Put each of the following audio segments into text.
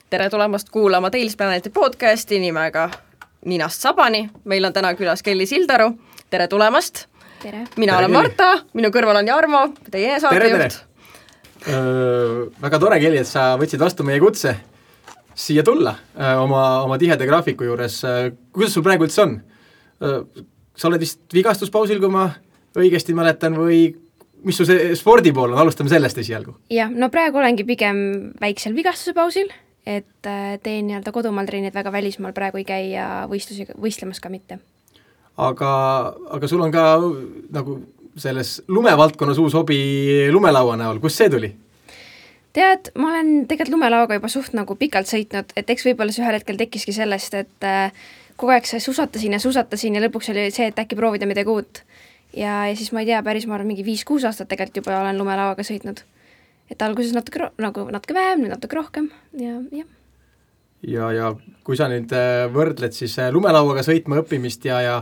Tere tulemast kuulama Tales Planeti podcasti nimega Ninast Sabani. Meil on täna külas Kelly Sildaru. Tere tulemast. Tere. Mina olen Marta, minu kõrval on Jarmo, teie saatejuht. Väga tore, Kelly, et sa võtsid vastu meie kutse siia tulla oma tiheda graafiku juures. Kuidas sul praegu üldse on? Sa oled vist vigastuspausil, kui ma õigesti mäletan, või mis su see spordi pool on? Alustame sellest esialgu. Jah, no praegu olengi pigem väiksel vigastusepausil, et teen kodumaal treenid, väga välismaal praegu ei käi ja võistlemas ka mitte. Aga sul on ka nagu selles lumevaldkonnas uus hobi lumelaua näol. Kus see tuli? Tead, ma olen tegelikult lumelauaga juba suht nagu pikalt sõitnud, et eks võib-olla see ühel hetkel tekkiski sellest, et kogu aeg susatasin ja lõpuks oli see, et äkki proovida midagi uut. Ja siis ma ei tea, päris ma arvan mingi 5-6 aastat tegelikult juba olen lumelauaga sõitnud. Et alguses natuke vähem, nüüd natuke rohkem ja kui sa nüüd võrdled siis lumelauaga sõitma õppimist ja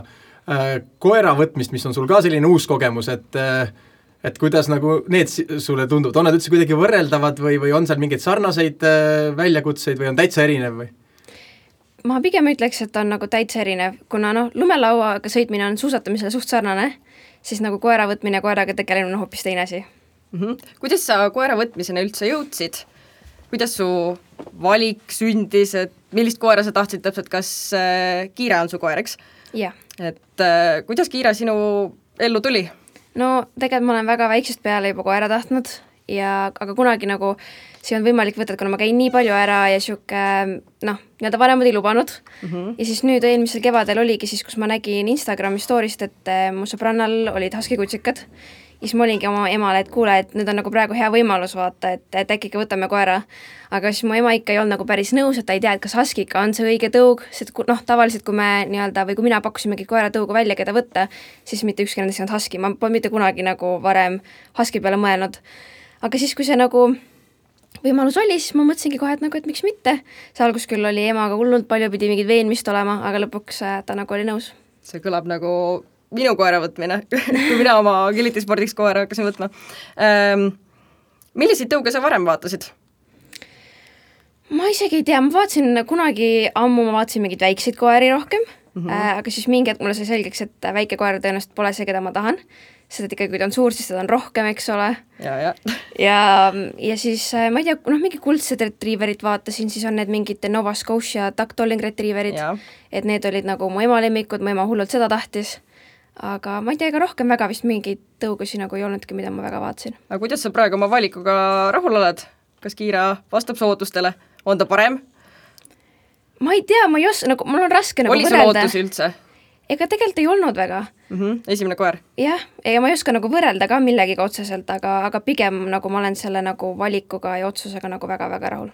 koera võtmist, mis on sul ka selline uus kogemus, et kuidas nagu need sulle tundub, on nad üldse kuidagi võrreldavad või on seal mingeid sarnaseid väljakutseid või on täitsa erinev või? Ma pigem ütleks, et on nagu täitsa erinev, kuna lumelauaga sõitmine on suusatamisele suht sarnane, siis nagu koera võtmine ja koeraga tegelemine on hoopis teine asi. Kuidas sa koera võtmisena üldse jõudsid? Kuidas su valik sündis, et millist koera sa tahtsid täpselt, kas Kiira on su koer, eks? Jah. Et kuidas Kiira sinu ellu tuli? No tegelikult ma olen väga väiksest peale juba koera tahtnud, aga kunagi nagu see on võimalik võtta, kuna ma käin nii palju ära ja nii-öelda vanemad ei lubanud. Ja siis nüüd eelmisel kevadel oligi siis, kus ma nägin Instagrami storyst, et mu sõbrannal olid haskikutsikad. Ja siis ma olingi oma emale, et kuule, et nüüd on nagu praegu hea võimalus vaata, et äkki võtame koera. Aga siis mu ema ikka ei olnud nagu päris nõus, et ta ei tea, et kas haskika on see õige tõug, sest tavaliselt kui me nii-öelda või kui mina pakkusimegi koera tõugu välja, keda võtta, siis mitte ükski nendest ei olnud haski. Ma pole mitte kunagi nagu varem haski peale mõelnud. Aga siis, kui see nagu võimalus oli, siis ma mõtlesingi kohe, et miks mitte. See algus küll oli emaga hullult palju, pidi mingid veenmist olema, aga lõpuks ta nagu oli nõus. See kõlab nagu minu koera võtmine, kui mina oma kilitispordiks koera hakkasin võtma. Milliseid tõuge sa varem vaatasid? Ma isegi ei tea, ma vaatasin kunagi ammu, ma vaatasin mingid väikseid koeri rohkem, aga siis mingi hetk mulle sai selgeks, et väike koer tõenäoliselt pole see, keda ma tahan. Sest et ikkagi, kui ta on suur, siis ta on rohkem, eks ole. Ja siis, ma ei tea, mingi kuldsed retrieverit vaatasin, siis on need mingid Nova Scotia Duck Dolling retrieverit, et need olid nagu mu ema lemmikud, mu ema hullult seda tahtis. Aga ma ei tea, ega rohkem väga vist mingeid tõugusi nagu ei olnudki, mida ma väga vaatasin. Aga kuidas sa praegu oma valikuga rahul oled? Kas Kiira vastab sootustele? On ta parem? Ma ei tea, mul on raske nagu võrrelda. Oli sul ootusi üldse? Ega tegelikult ei olnud väga. Esimene koer? Jah, ega ma ei oska nagu võrrelda ka millegiga otseselt, aga pigem nagu ma olen selle nagu valikuga ja otsusega nagu väga-väga rahul.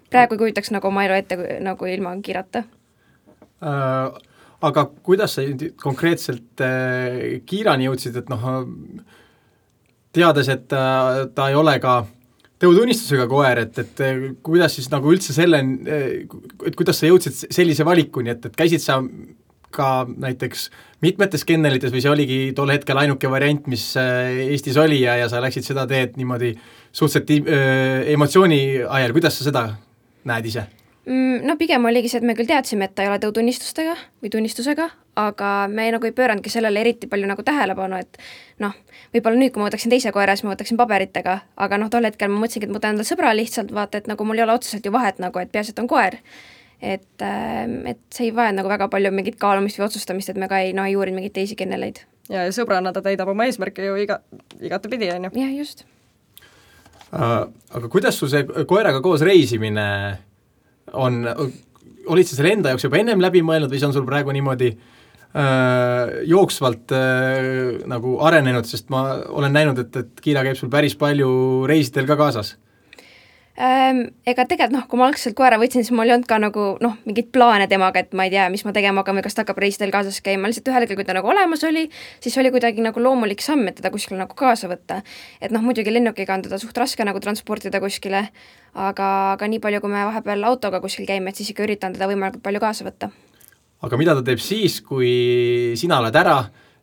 Praegu ei kujutaks nagu oma elu ette nagu ilma Kiirata. Aga kuidas sa konkreetselt Kiirani jõudsid, et teades, et ta ei ole ka tõutunnistusega koer, et kuidas siis nagu üldse et kuidas sa jõudsid sellise valikuni, et käisid sa ka näiteks mitmetes kennelites või see oligi tol hetkel ainuke variant, mis Eestis oli ja sa läksid seda teed niimoodi suhteliselt emotsiooni ajal, kuidas sa seda näed ise? No pigem oligi see, et me küll teadsime, et ta ei ole tõutunnistustega või tunnistusega, aga me nagu ei pöörandki sellele eriti palju nagu tähelepanu, et võib-olla nüüd, kui ma võtaksin teise koera, siis ma võtaksin paberitega, aga tol hetkel ma mõtlesingi, et ma võtan endale sõbra lihtsalt, vaata, et nagu mul ei ole otseselt ju vahet nagu, et peaasi, et on koer. Et see ei vaja nagu väga palju mingit kaalumist või otsustamist, et me ka ei uurin mingeid teisi kenneleid. Ja sõbrana ta täidab oma eesmärke ju igatepidi, on ju? Jah, just. Aga kuidas sul see koeraga koos reisimine on, olid sa selle enda jaoks juba ennem läbi mõelnud või see on sul praegu niimoodi jooksvalt nagu arenenud, sest ma olen näinud, et Kiira käib sul päris palju reisidel ka kaasas? Ega tegelikult, kui ma algselt koera võtsin, siis mul ei olnud ka nagu, mingid plaane temaga, et ma ei tea, mis ma tegema hakkame, kas ta hakkab reisidel kaasas käima, lihtsalt ühel hetkel, kui ta nagu olemas oli, siis oli kuidagi nagu loomulik samm, et teda kuskile nagu kaasa võtta. Et muidugi lennukiga on teda suht raske nagu transportida kuskile, aga nii palju, kui me vahepeal autoga kuskil käime, et siis ikka üritan teda võimalikult palju kaasa võtta. Aga mida ta teeb siis, kui sina oled ära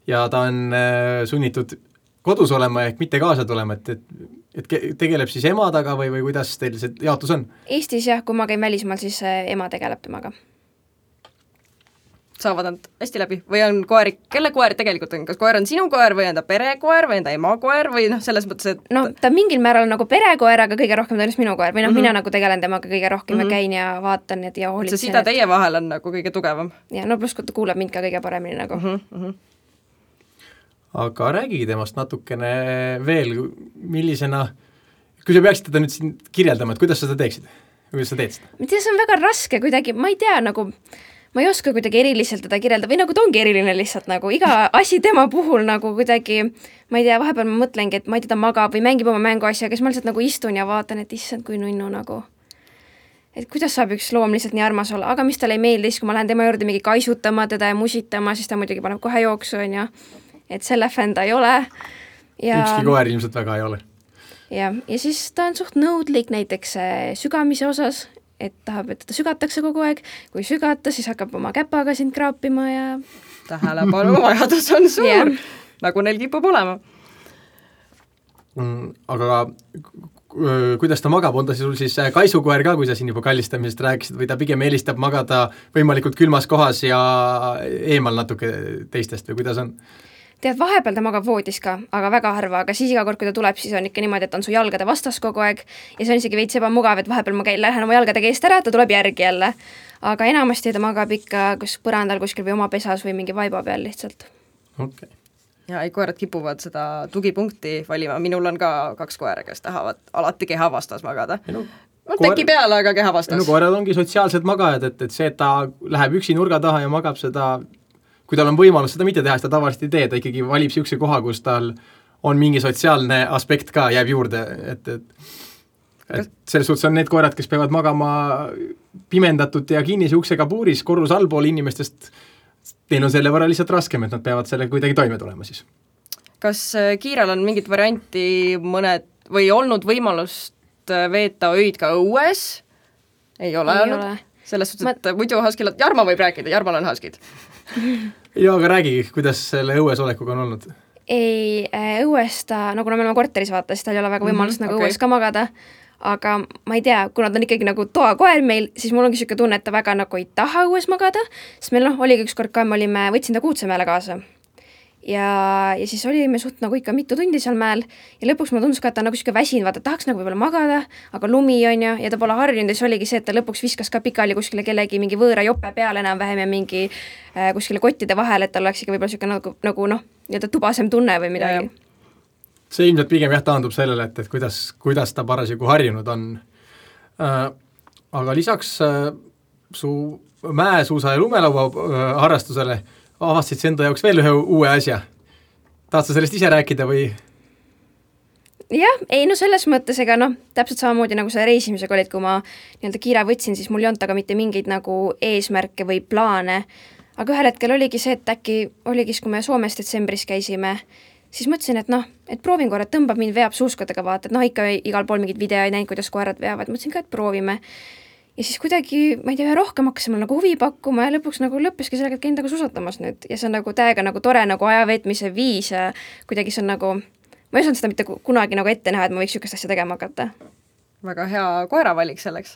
ja ta on sunnitud kodus olema ehk mitte kaasa tulema, et et tegeleb siis ema taga või kuidas teil see jaotus on? Eestis jah, kui ma käin välismaal, siis ema tegeleb temaga. Saavad nad hästi läbi või on koeri, kelle koer tegelikult on, kas koer on sinu koer või on ta perekoer või on ta ema koer või noh, selles mõttes, et no ta mingil määral nagu perekoer, aga kõige rohkem tõenäoliselt minu koer või mina nagu tegelen temaga kõige rohkem ja käin ja vaatan ja hoolitsen. see sida teie vahel on nagu kõige tugevam. Ja no pluss ta kuulab mind ka kõige paremini nagu. Aga räägigi temast natukene veel, millisena, kui sa peaksid teda nüüd siin kirjeldama, et kuidas sa seda teeksid? Kuidas sa teed seda? Ma tea, see on väga raske kuidagi, ma ei tea, nagu ma ei oska kuidagi eriliselt teda kirjelda või nagu ta ongi eriline lihtsalt nagu iga asi tema puhul nagu kuidagi, ma ei tea, vahepeal ma mõtlengi, et ma ei tea, ta magab või mängib oma mänguasja, aga siis ma lihtsalt nagu istun ja vaatan, et issand, kui nunnu nagu. Et kuidas saab üks loom lihtsalt nii armas olla, aga mis talle ei meeldis, kui ma lähen tema juurde mingi kaisutama teda ja musitama, siis ta muidugi paneb kohe jooksu, on ju. Et selle fänn ta ei ole. Ja ükski koer ilmselt väga ei ole. Ja siis ta on suht nõudlik näiteks sügamise osas, et tahab, et ta sügatakse kogu aeg, kui sügata, siis hakkab oma käpaga sind kraapima ja tähelepanu vajadus on suur, nagu neil kipub olema. Aga kuidas ta magab, on ta sul siis kaisukoer ka, kui sa siin juba kallistamisest rääkisid, või ta pigem eelistab magada võimalikult külmas kohas ja eemal natuke teistest või kuidas on? Tead, vahepeal ta magab voodis ka, aga väga harva, aga siis iga kord, kui ta tuleb, siis on ikka niimoodi, et on su jalgade vastas kogu aeg ja see on isegi veits ebamugav, et vahepeal ma lähen oma jalgadega eest ära, ta tuleb järgi jälle. Aga enamasti ta magab ikka kus põrandal kuskil või oma pesas või mingi vaiba peal lihtsalt. Okay. Ja koerad kipuvad seda tugipunkti valima, minul on ka 2 koera, kes tahavad alati keha vastas magada. Teki peale, aga keha vastas. Koerad ongi sotsiaalsed magajad, et see, et ta läheb üksi nurga taha ja magab seda, kui tal on võimalus seda mitte teha, siis ta tavaliselt ei tee, ta ikkagi valib siukse koha, kus tal on mingi sotsiaalne aspekt ka, jääb juurde, et selles suhtes on need koerad, kes peavad magama pimendatud ja kinnise uksega puuris korrus allpool inimestest, neil on selle võrra lihtsalt raskem, et nad peavad selle kuidagi toime tulema siis. Kas Kiiral on mingit varianti mõned või olnud võimalust veeta öid ka õues? Ei ole olnud? Selles suhtes, et muidu Huskil, Jarmo võib rääkida, Jarmal on Huskid. Ja, aga räägi, kuidas selle õues olekuga on olnud? Ei, õues ta, nagu me oleme korteris vaata, siis tal ei ole väga võimalust nagu õues ka magada, aga ma ei tea, kuna ta on ikkagi nagu toakoer meil, siis mul ongi siuke tunne, et ta väga nagu ei taha õues magada, sest meil oligi ükskord ka, võtsin ta Kuutsemäele kaasa. Ja siis olime suht nagu ikka mitu tundi seal mäel ja lõpuks ma tundus ka, et ta nagu siuke väsin, vaata, tahaks nagu võib-olla magada, aga lumi on ja ta pole harjunud ja siis oligi see, et ta lõpuks viskas ka pikali kuskile kellegi mingi võõra jope peale enam-vähem ja mingi kuskile kottide vahel, et tal oleks ikka võib-olla siuke nagu nii-öelda tubasem tunne või midagi. See ilmselt pigem taandub sellele, et kuidas ta parasjagu harjunud on. Aga lisaks su mäesuusa ja lumelaua harrastusele avastasid sa enda jaoks veel ühe uue asja. Tahad sa sellest ise rääkida või? Jah, ei no selles mõttes, ega täpselt samamoodi nagu selle reisimisega olid, kui ma nii-öelda Kiira võtsin, siis mul ei olnud aga mitte mingeid nagu eesmärke või plaane, aga ühel hetkel oligi see, et äkki oligi, kui me Soomes detsembris käisime, siis mõtlesin, et proovin korra, et tõmbab mind veab suuskadega vaata, et ikka igal pool mingid videoid näinud, kuidas koerad veavad, mõtlesin ka, et proovime. Ja siis kuidagi, ma ei tea, rohkem hakkasime nagu huvi pakkuma ja lõpuks nagu lõppeski sellega, et käin nagu susatamas nüüd ja see on nagu täiega nagu tore nagu ajaveetmise viis ja kuidagi see on nagu, ma ei osanud seda mitte kunagi nagu ette näha, et ma võiks sükast asja tegema hakata. Väga hea koeravalik selleks.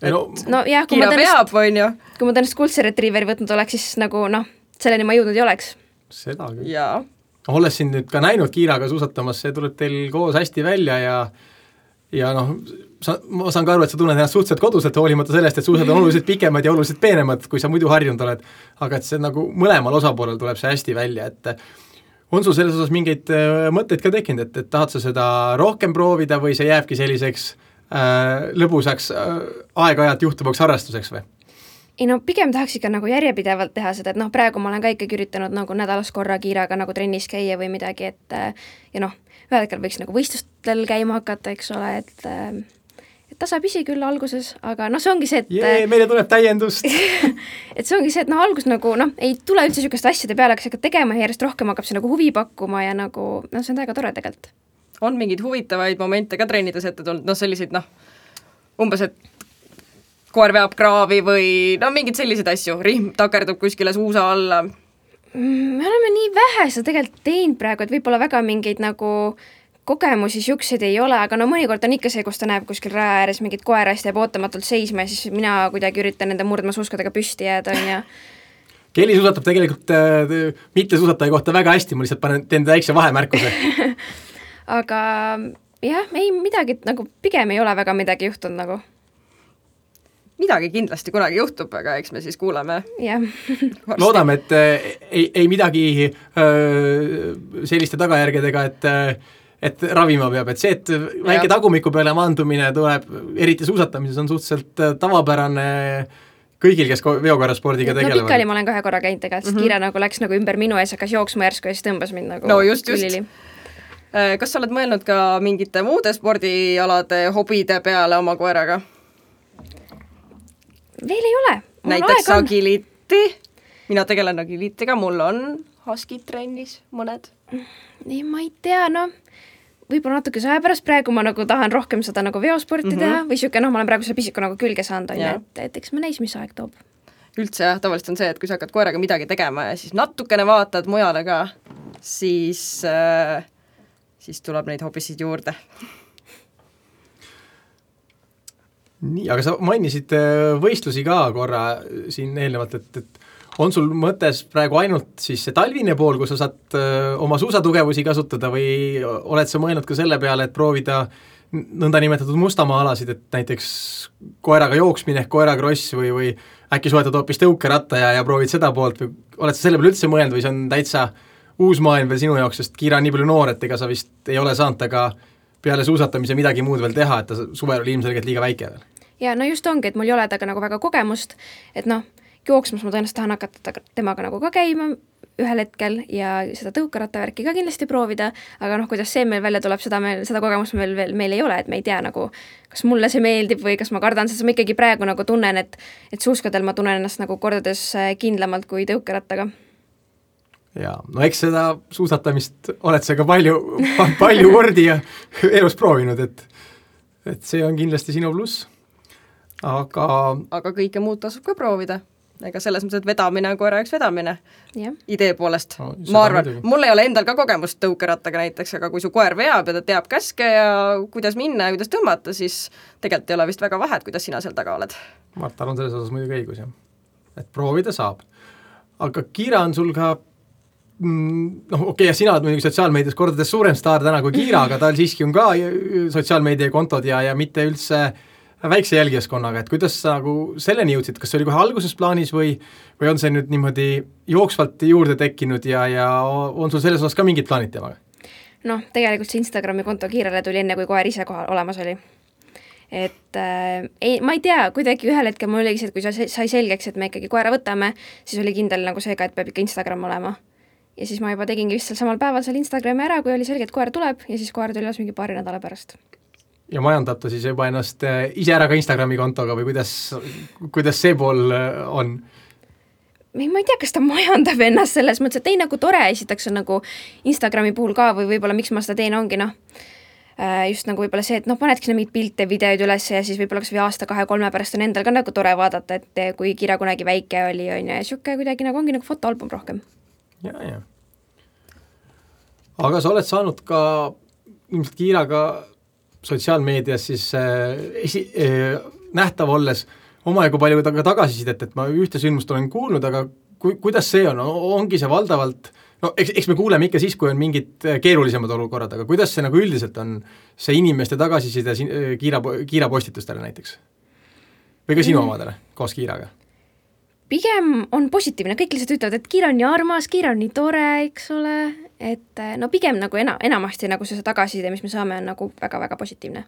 No jah, kui ma tõenäoliselt kuldse retriiveri võtnud oleks, siis nagu selleni ma jõudnud ei oleks. Seda küll. Jaa. Olles siin nüüd ka näinud Kiiraga susatamas, see tuleb teil koos hästi välja ja ma saan ka aru, et sa tunned ennast suhteliselt koduselt hoolimata sellest, et suusad on oluliselt pikemad ja oluliselt peenemad, kui sa muidu harjunud oled, aga et see nagu mõlemal osapoolel tuleb see hästi välja, et on sul selles osas mingeid mõtteid ka tekkinud, et tahad sa seda rohkem proovida või see jääbki selliseks lõbusaks aeg-ajalt juhtuvaks harrastuseks või? Ei pigem tahaks ikka nagu järjepidevalt teha seda, et praegu ma olen ka ikkagi üritanud nagu nädalas korra Kiiraga nagu trennis käia või midagi, et ja ühel hetkel võiks nagu võistlustel käima hakata, eks ole, et tasapisi küll alguses, aga see ongi see, et meile tuleb täiendust. et see ongi see, et algus nagu ei tule üldse sükast asjade peale, aga sa hakkad tegema ja järjest rohkem hakkab see nagu huvi pakkuma ja nagu see on täiega tore tegelikult. On mingeid huvitavaid momente ka treenides ette tulnud, selliseid umbes, et koer veab kraavi või mingid sellised asju, rihm takerdub kuskile suusa alla. Me oleme nii vähe seda tegelikult teinud praegu, et võib-olla väga mingeid nagu kogemusi siukseid ei ole, aga no mõnikord on ikka see, kus ta näeb kuskil raja ääres mingit koerast, jääb ootamatult seisma ja siis mina kuidagi üritan nende murdmaasuuskadega püsti jääda, on ju. Kelly suusatab tegelikult mittesuusataja kohta väga hästi, ma lihtsalt teen väikse vahemärkuse. Aga jah, ei midagi, nagu pigem ei ole väga midagi juhtunud nagu. Midagi kindlasti kunagi juhtub, aga eks me siis kuuleme. Jah. Loodame, et ei midagi selliste tagajärgedega, et ravima peab, et see, et väike tagumiku peale maandumine tuleb, eriti suusatamises on suhteliselt tavapärane kõigil, kes veokorraspordiga tegelevad. No pikali ma olen 2 korra käinud tegelikult, sest Kiira nagu läks nagu ümber minu ees, hakkas jooksma järsku ja siis tõmbas mind nagu just. Kas sa oled mõelnud ka mingite muude spordialade, hobide peale oma koeraga? Veel ei ole. Näiteks agiliiti. Mina tegelen agiliitiga, mul on husky trennis mõned. Ei, ma ei tea, võib-olla natuke aja pärast, praegu ma nagu tahan rohkem seda nagu veosporti teha või siuke, ma olen praegu selle pisiku nagu külge saanud, et eks me näis, mis aeg toob. Üldse jah, tavaliselt on see, et kui sa hakkad koeraga midagi tegema ja siis natukene vaatad mujale ka, siis tuleb neid hobisid juurde. Nii, aga sa mainisid võistlusi ka korra siin eelnevalt, et on sul mõttes praegu ainult siis see talvine pool, kus sa saad oma suusatugevusi kasutada või oled sa mõelnud ka selle peale, et proovida nõndanimetatud mustamaa-alasid, et näiteks koeraga jooksmine, koerakross või äkki soetad hoopis tõukeratta ja proovid seda poolt või oled sa selle peale üldse mõelnud või see on täitsa uus maailm veel sinu jaoks, sest Kiira on nii palju noor, et ega sa vist ei ole saanud aga peale suusatamise midagi muud veel teha, et ta suvel oli ilmselgelt liiga väike veel. Ja no just ongi, et mul ei ole taga nagu väga kogemust, et jooksmas ma tõenäoliselt tahan hakata temaga nagu ka käima ühel hetkel ja seda tõukerattavärki ka kindlasti proovida, aga kuidas see meil välja tuleb, seda kogemust meil ei ole, et me ei tea nagu, kas mulle see meeldib või kas ma kardan, sest ma ikkagi praegu nagu tunnen, et suuskadel ma tunnen ennast nagu kordades kindlamalt kui tõukerattaga. Ja, no eks seda suusatamist oled sa ka palju kordi ja elus proovinud, et see on kindlasti sinu pluss. Aga kõike muud tasub ka proovida. Ega selles mõttes, et vedamine on koera üks vedamine. Idee poolest. Ma arvan, mul ei ole endal ka kogemust tõukerattaga näiteks, aga kui su koer veab ja ta teab käske ja kuidas minna ja kuidas tõmmata, siis tegelikult ei ole vist väga vahet, kuidas sina seal taga oled. Marta on selles osas muidugi õigus, jah. Et proovida saab. Aga Kiira on sul ka ja sina oled muidugi sotsiaalmeedias kordades suurem staar täna kui Kiira, aga tal siiski on ka sotsiaalmeedia kontod ja mitte üldse väikse jälgijaskonnaga, et kuidas sa nagu selleni jõudsid, kas see oli kohe alguses plaanis või on see nüüd niimoodi jooksvalt juurde tekkinud ja on sul selles osas ka mingid plaanid temaga? Tegelikult see Instagrami konto Kiirale tuli enne, kui koer ise kohal olemas oli. Et ma ei tea, kuidagi ühel hetkel mul oligi see, et kui sai selgeks, et me ikkagi koera võtame, siis oli kindel nagu see ka, et peab ikka Instagram olema. Ja siis ma juba tegingi vist seal samal päeval seal Instagrami ära, kui oli selge, et koer tuleb ja siis koer tuli alles mingi paari nädala pärast. Ja majandab ta siis juba ennast ise ära ka Instagrami kontoga või kuidas see pool on? Ma ei tea, kas ta majandab ennast selles mõttes, et ei nagu tore esitakse nagu Instagrami puhul ka või võib-olla miks ma seda teen ongi just nagu võib-olla see, et panedki mingid pilte, videoid üles ja siis võib-olla kas või aasta, 2-3 pärast on endal ka nagu tore vaadata, et kui Kiira kunagi väike oli ja siuke kuidagi nagu ongi nagu fotoalbum rohkem. Ja. Aga sa oled saanud ka ilmselt Kiiraga sotsiaalmeedias siis nähtav olles omajagu palju tagasisidet, et ma ühte sündmust olen kuulnud, aga kuidas see on? Ongi see valdavalt, eks me kuuleme ikka siis, kui on mingid keerulisemad olukorrad, aga kuidas see nagu üldiselt on see inimeste tagasiside Kiira postitustele näiteks? Või ka sinu omadele koos Kiiraga? Pigem on positiivne, kõik lihtsalt ütlevad, et Kiira on nii armas, Kiira on nii tore, eks ole, et pigem nagu enamasti nagu see tagasiside, mis me saame, on nagu väga-väga positiivne.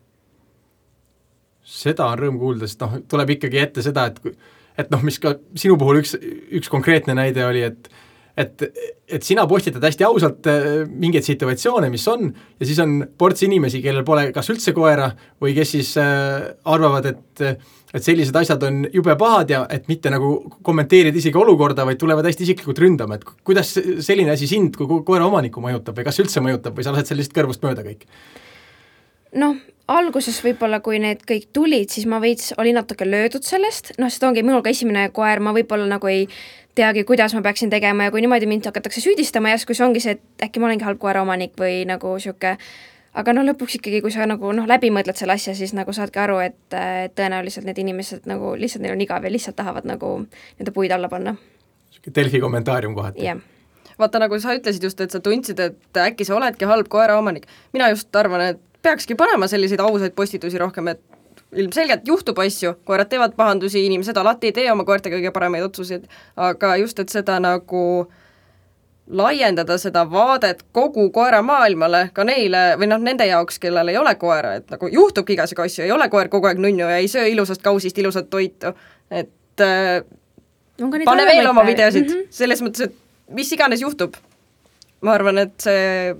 Seda on rõõm kuulda, sest tuleb ikkagi ette seda, et mis ka sinu puhul üks konkreetne näide oli, et sina postitad hästi ausalt mingeid situatsioone, mis on, ja siis on ports inimesi, kellel pole kas üldse koera või kes siis arvavad, et sellised asjad on jube pahad ja et mitte nagu kommenteerida isegi olukorda, vaid tulevad hästi isiklikult ründama, et kuidas selline asi sind kui koera omaniku mõjutab või kas üldse mõjutab või sa lased sellist kõrvust mööda kõik? Alguses võib-olla, kui need kõik tulid, siis ma olin natuke löödud sellest, sest ongi minul ka esimene koer, ma võib-olla nagu ei teagi, kuidas ma peaksin tegema ja kui niimoodi mind hakatakse süüdistama järsku, siis ongi see, et äkki ma olengi halb koera omanik või nagu siuke, aga no lõpuks ikkagi, kui sa nagu läbi mõtled selle asja, siis nagu saadki aru, et tõenäoliselt need inimesed nagu lihtsalt neil on igav ja lihtsalt tahavad nagu nende puid alla panna. Delfi kommentaarium kohati. Jah. Vaata, nagu sa ütlesid just, et sa tundsid, et äkki sa oledki halb koeraomanik. Mina just arvan, et peakski panema selliseid ausaid postitusi rohkem, et ilmselgelt juhtub asju, koerad teevad pahandusi, inimesed alati ei tee oma koerte kõige paremaid otsuseid, aga just, et seda nagu laiendada seda vaadet kogu koeramaailmale, ka neile või nende jaoks, kellel ei ole koera, et nagu juhtubki igasugu asju, ei ole koer kogu aeg nunnu ja ei söö ilusast kausist ilusat toitu, et pane veel oma videosid, selles mõttes, et mis iganes juhtub. Ma arvan, et see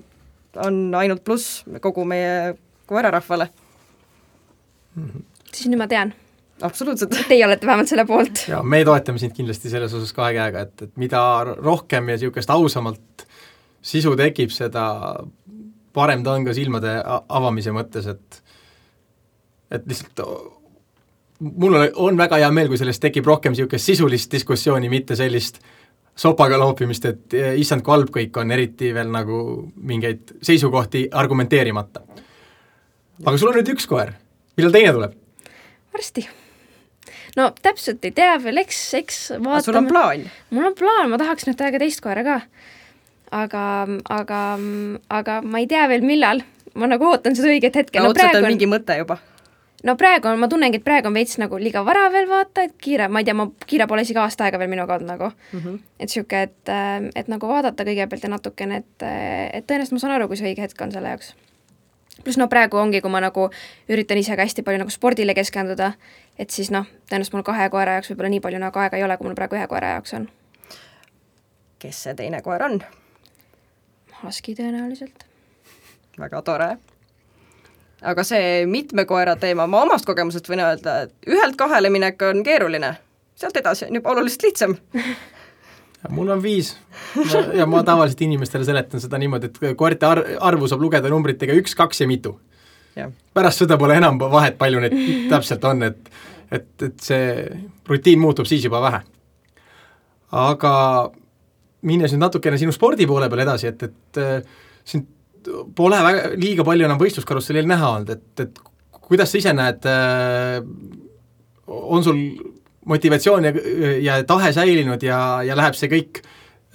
on ainult pluss kogu meie koerarahvale. Siis nüüd ma tean. Absoluutselt. Teie olete vähemalt selle poolt. Ja me toetame sind kindlasti selles osas 2 käega, et mida rohkem ja niisugust ausamalt sisu tekib, seda parem ta on ka silmade avamise mõttes, et lihtsalt mul on väga hea meel, kui sellest tekib rohkem niisugust sisulist diskussiooni, mitte sellist sopaga loopimist, et issand, kui halb kõik on, eriti veel nagu mingeid seisukohti argumenteerimata. Aga sul on nüüd 1 koer. Millal teine tuleb? Varsti. No täpselt ei tea veel, eks vaatame. Sul on plaan? Mul on plaan, ma tahaks nüüd täiega teist koera ka. Aga ma ei tea veel millal. Ma nagu ootan seda õiget hetke. No otseselt on mingi mõte juba. No praegu ma tunnengi, et praegu on veits nagu liiga vara veel vaata, et kiire, ma ei tea, kiire pole isegi aasta aega veel minuga olnud nagu. Et siuke, et nagu vaadata kõigepealt ja natukene, et tõenäoliselt ma saan aru, kui see õige hetk on selle jaoks. Plus praegu ongi, kui ma nagu üritan ise ka hästi palju nagu spordile keskenduda, et siis tõenäoliselt mul 2 koera jaoks võib-olla nii palju nagu aega ei ole, kui mul praegu 1 koera jaoks on. Kes see teine koer on? Husky tõenäoliselt. Väga tore. Aga see mitme koera teema, ma omast kogemusest võin öelda, et 1-2 minek on keeruline. Sealt edasi on juba oluliselt lihtsam. Mul on 5 ja ma tavaliselt inimestele seletan seda niimoodi, et koerte arvu saab lugeda numbritega 1, 2 ja mitu. Ja. Pärast seda pole enam vahet, palju need täpselt on, et see rutiin muutub siis juba vähe. Aga minnes nüüd natukene sinu spordi poole peal edasi, et sind pole liiga palju enam võistluskarussellil näha olnud, et kuidas sa ise näed, on sul motivatsioon ja tahe säilinud ja läheb see kõik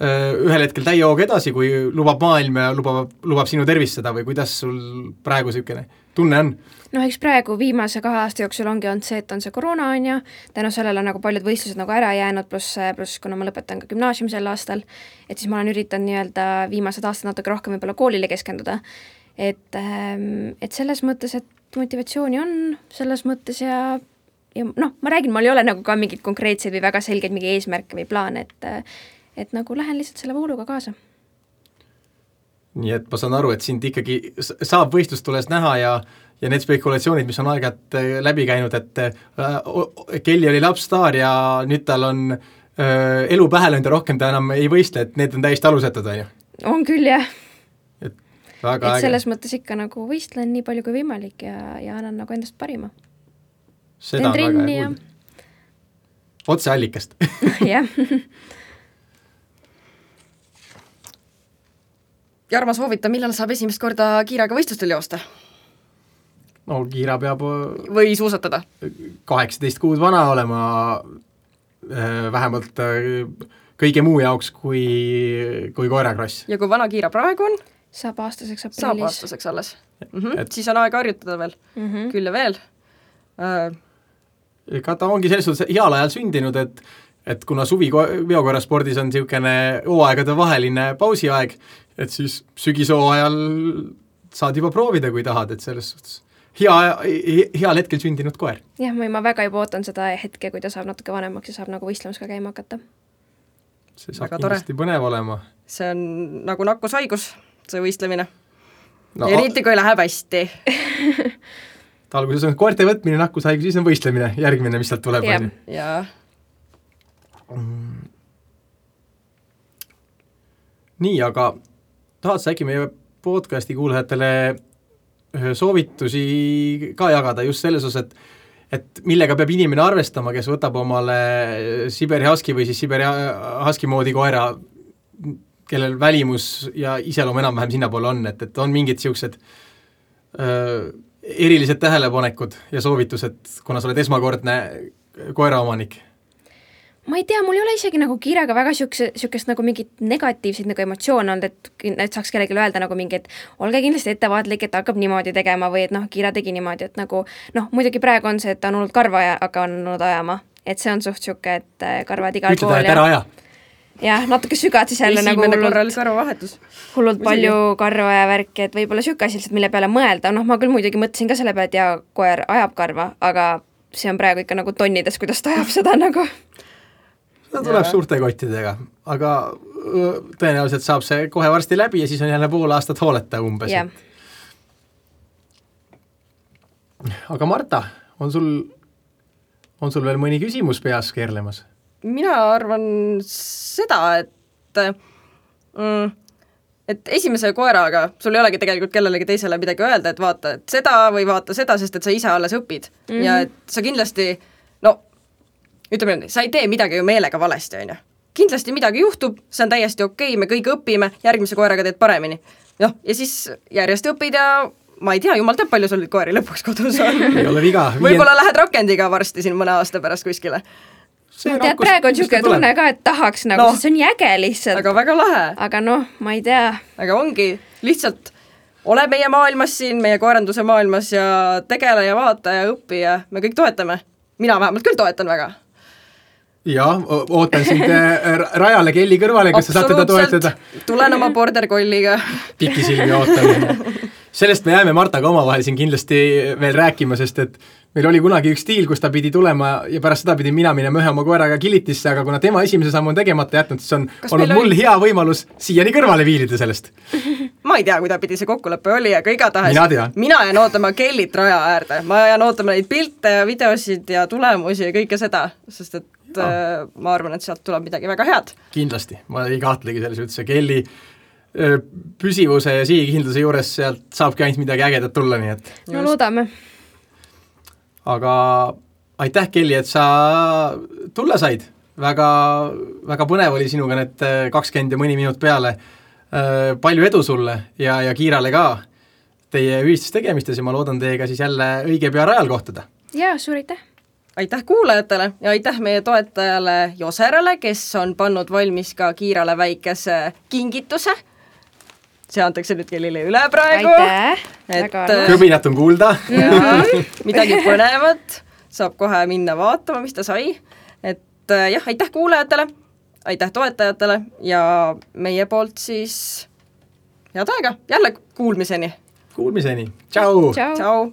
ühel hetkel täie hooga edasi, kui lubab maailm ja lubab sinu tervist seda või kuidas sul praegu niisugune tunne on? No eks praegu viimase 2 aasta jooksul ongi olnud see, et on see koroona on ja tänu sellele on nagu paljud võistlused nagu ära jäänud, pluss kuna ma lõpetan ka gümnaasiumi sel aastal, et siis ma olen üritanud nii-öelda viimased aastad natuke rohkem võib-olla koolile keskenduda. Et selles mõttes, et motivatsiooni on selles mõttes ja ma räägin, mul ei ole nagu ka mingeid konkreetseid või väga selgeid mingi eesmärke või plaan, et nagu lähen lihtsalt selle vooluga kaasa. Nii et ma saan aru, et sind ikkagi saab võistlustules näha ja need spekulatsioonid, mis on aeg-ajalt läbi käinud, et Kelly oli lapsstaar ja nüüd tal on elu pähe löönud ja rohkem ta enam ei võistle, et need on täiesti alusetud, on ju? On küll, jah. Et selles mõttes ikka nagu võistlen nii palju kui võimalik ja annan nagu endast parima. Seda on väga hea kuulda. Otse allikast. Jah. Jarmo soovita, millal saab esimest korda Kiiraga võistlustel joosta? No Kiira peab või suusatada 18 kuud vana olema vähemalt kõige muu jaoks kui koerakross. Ja kui vana Kiira praegu on? Saab aastaseks aprillis. Saab aastaseks alles. Siis on aega harjutada veel. Küll ja veel. Ega ta ongi selles suhtes heal ajal sündinud, et kuna suvi veokoeraspordis on niisugune hooaegade vaheline pausiaeg, et siis sügishoo ajal saad juba proovida, kui tahad, et selles suhtes heal hetkel sündinud koer. Jah, ma väga juba ootan seda hetke, kui ta saab natuke vanemaks ja saab nagu võistlemas ka käima hakata. See saab väga kindlasti põnev olema. See on nagu nakkushaigus, see võistlemine. No, eriti kui läheb hästi. Alguses on koerte võtmine, nakkushaigus, siis on võistlemine, järgmine, mis sealt tuleb. Jaa. Nii, aga tahad sa äkki meie podcasti kuulajatele soovitusi ka jagada just selles osas, et millega peab inimene arvestama, kes võtab omale Siberi Husky või siis Siberi Husky moodi koera, kellel välimus ja iseloom enam-vähem sinnapoole on, et on mingid siuksed erilised tähelepanekud ja soovitused, kuna sa oled esmakordne koeraomanik? Ma ei tea, mul ei ole isegi nagu Kiiraga väga siukest nagu mingit negatiivseid nagu emotsioone olnud, et saaks kellelegi öelda nagu mingi, et olge kindlasti ettevaatlik, et hakkab niimoodi tegema või et Kiira tegi niimoodi, et nagu muidugi praegu on see, et ta on olnud karva hakanud ajama, et see on suht siuke, et karvad igal pool. Ütled, ära aja. Jah, natuke sügad siis jälle nagu hullult palju karva ja värki, et võib-olla siuke asi lihtsalt, mille peale mõelda. Ma küll muidugi mõtlesin ka selle peale, et koer ajab karva, aga see on praegu ikka nagu tonnides, kuidas ta ajab seda nagu. Ta tuleb suurte kottidega, aga tõenäoliselt saab see kohe varsti läbi ja siis on jälle pool aastat hooleta umbes. Yeah. Aga Marta, on sul veel mõni küsimus peas keerlemas? Mina arvan seda, et esimese koeraga sul ei olegi tegelikult kellelegi teisele midagi öelda, et vaata et seda või vaata seda, sest et sa ise alles õpid. Ja et sa kindlasti, ütleme, sa ei tee midagi ju meelega valesti, on ju. Kindlasti midagi juhtub, see on täiesti okei, me kõik õpime, järgmise koeraga teed paremini. Ja siis järjest õpid ja ma ei tea, jumal teab, palju sul koeri lõpuks kodus on. Ei ole viga. Võib-olla lähed rakendiga varsti siin mõne aasta pärast kuskile. Tead, praegu on siuke tunne ka, et tahaks nagu, see on nii äge lihtsalt. Aga väga lahe. Aga ma ei tea. Aga ongi, lihtsalt ole meie maailmas siin, meie koeranduse maailmas ja tegele ja vaata ja õpi ja me kõik toetame. Mina vähemalt küll toetan väga. Jah, ootan sind rajale Kelly kõrvale, kas sa saad teda toetada. Tulen oma border colliga. Pikisilmi ootan. Sellest me jääme Martaga omavahel siin kindlasti veel rääkima, sest et meil oli kunagi üks diil, kus ta pidi tulema ja pärast seda pidin mina minema ühe oma koeraga Killitisse, aga kuna tema esimese sammu on tegemata jätnud, siis on olnud mul hea võimalus siiani kõrvale viilida sellest. Ma ei tea, kuida pidi see kokkulepe oli, aga igatahes mina jään ootama Kellit raja äärde. Ma jään ootama neid pilte ja videosid ja tulemusi ja kõike seda, sest et ma arvan, et sealt tuleb midagi väga head. Kindlasti, ma ei kahtlegi selles üldse. Kelly püsivuse ja siigikindluse juures sealt saabki ainult midagi ägedat tulla, nii et... No loodame. Aga aitäh, Kelly, et sa tulla said. Väga põnev oli sinuga need 20 ja mõni minut peale. Palju edu sulle ja Kiirale ka teie ühistes tegemistes ja ma loodan teiega siis jälle õige pea rajal kohtuda. Jaa, suur aitäh! Aitäh kuulajatele ja aitäh meie toetajale Joserale, kes on pannud valmis ka Kiirale väikese kingituse. See antakse nüüd Kellile üle praegu. Aitäh! Kõbinat on kuulda. Midagi põnevat. Saab kohe minna vaatama, mis ta sai. Et aitäh kuulajatele, aitäh toetajatele ja meie poolt siis head aega. Jälle kuulmiseni. Kuulmiseni. Tšau! Tšau!